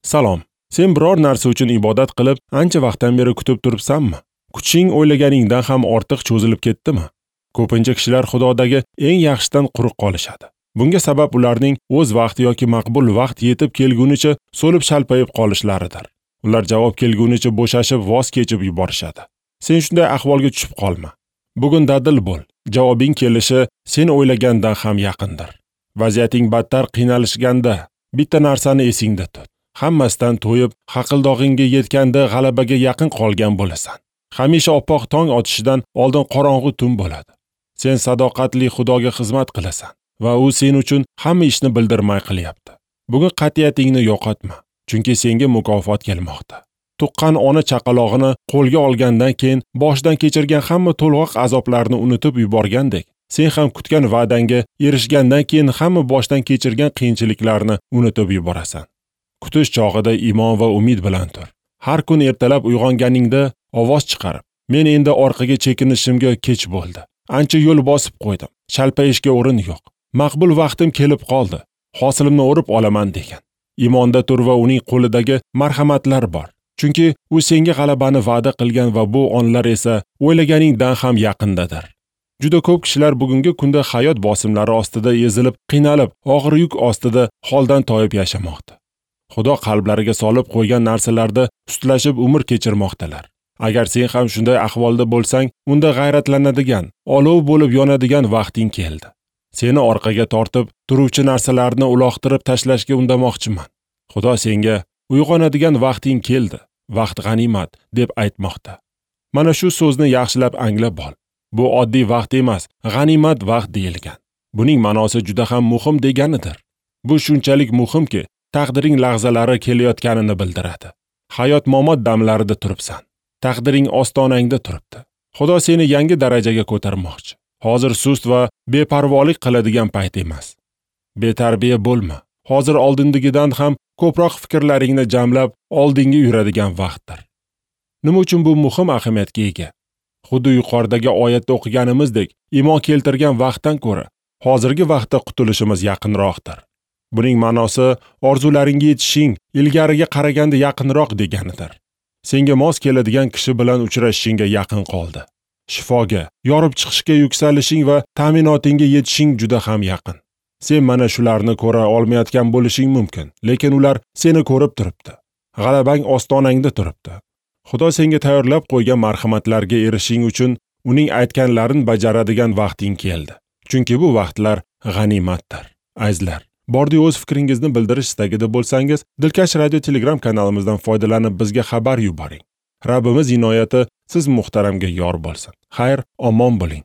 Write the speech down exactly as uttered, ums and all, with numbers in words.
Salom. Sen biror narsa uchun ibodat qilib, ancha vaqtdan beri kutib turibsanmi? Kuching o'ylaganingdan ham ortiq cho'zilib ketdimi? Ko'pincha kishilar Xudodagi eng yaxshidan quruq qolishadi. Bunga sabab ularning o'z vaqti yoki maqbul vaqt yetib kelgunicha so'lib shalpayib qolishlaridir. Ular javob kelgunicha bo'shashib, voz kechib yuborishadi. Sen shunday ahvolga tushib qolma. Bugun dadil bo'l. Javobing kelishi sen o'ylagandan ham yaqindir. Vaziyating battar qiynalishganda bitta narsani esingda tut. Hammasidan to'yib, haqildog'ingga yetganda g'alabaga yaqin qolgan bo'lasan. Hamisha oppoq tong otishidan oldin qorong'u tun bo'ladi. Sen sadoqatli Xudoga xizmat qilasan va u sen uchun hamma ishni bildirmay qilyapti. Bugun qat'iyatingni yo'qotma, chunki senga mukofot kelmoqda. Tuqqan ona chaqalog'ini qo'lga olgandan keyin boshidan kechirgan hamma to'lg'oq azoblarni unutib yuborgandek, sen ham kutgan va'dangga erishgandan keyin hamma boshdan kechirgan qiyinchiliklarni unutib yuborasan. Kutish chog'ida iymon va umid bilan tur. Har kun ertalab uyg'onganingda ovoz chiqarib, men endi orqaga chekinishimga kech bo'ldi. Ancha yo'l bosib qo'ydim. Shalpayishga o'rin yo'q. Maqbul vaqtim kelib qoldi. Hosilimni o'rib olaman degan. Iymonda tur va uning qo'lidagi marhamatlar bor. Chunki u senga g'alabani va'da qilgan va bu onlar esa o'ylaganingdan ham yaqindadir. Juda ko'p kishilar bugungi kunda hayot bosimlari ostida ezilib, qiynalib, og'ir yuk ostida holdan toyib yashamoqda. Xudo qalblariga solib qo'ygan narsalarda ustlashib umr kechirmoqdalar. Agar sen ham shunday ahvolda bo'lsang, unda g'ayratlanadigan, olov bo'lib yonadigan vaqting keldi. Seni orqaga tortib, turuvchi narsalarni uloqtirib tashlashga undamoqchiman. Xudo senga uyg'onadigan vaqting keldi, vaqt g'animat deb aytmoqda. Mana shu so'zni yaxshilab anglab ol. Bu oddiy vaqt emas, g'animat vaqt deyilgan. Buning ma'nosi juda ham muhim deganidir. Bu shunchalik muhimki, taqdiring lahzalari kelayotganini bildiradi. Hayot momot damlarida turibsan. Taqdiring ostonangda turibdi. Xudo seni yangi darajaga ko'tarmoqchi. Hozir sust va beparvolik qiladigan payt emas. Betarbiya bo'lma. Hozir oldindagidan ham ko'proq fikrlaringni jamlab, oldinga yuradigan vaqtdir. Nima uchun bu muhim ahamiyatga ega? Xuddi yuqoridagi oyatda o'qiganimizdek, iymon keltirgan vaqtdan ko'ra hozirgi vaqtda qutulishimiz yaqinroqdir. Buning ma'nosi orzularingga yetishing ilgariga qaraganda yaqinroq deganidir. Senga mos keladigan kishi bilan uchrashishingga yaqin qoldi. Shifoga, yorib chiqishga yuksalishing va ta'minotingga yetishing juda ham yaqin. Sen mana shularni ko'ra olmayotgan bo'lishing mumkin, lekin ular seni ko'rib turibdi. G'alabang ostonangda turibdi. Xudo senga tayyorlab qo'ygan marhamatlarga erishing uchun uning aytganlarini bajaradigan vaqting keldi. Chunki bu vaqtlar g'animatdir. Azizlar, bordi o'z fikringizni bildirish istagida bo'lsangiz, Dilkash Radio Telegram kanalimizdan foydalanib bizga xabar yuboring. Rabbimiz inoyati siz muhtaramga yor bo'lsin. Xayr, omon bo'ling.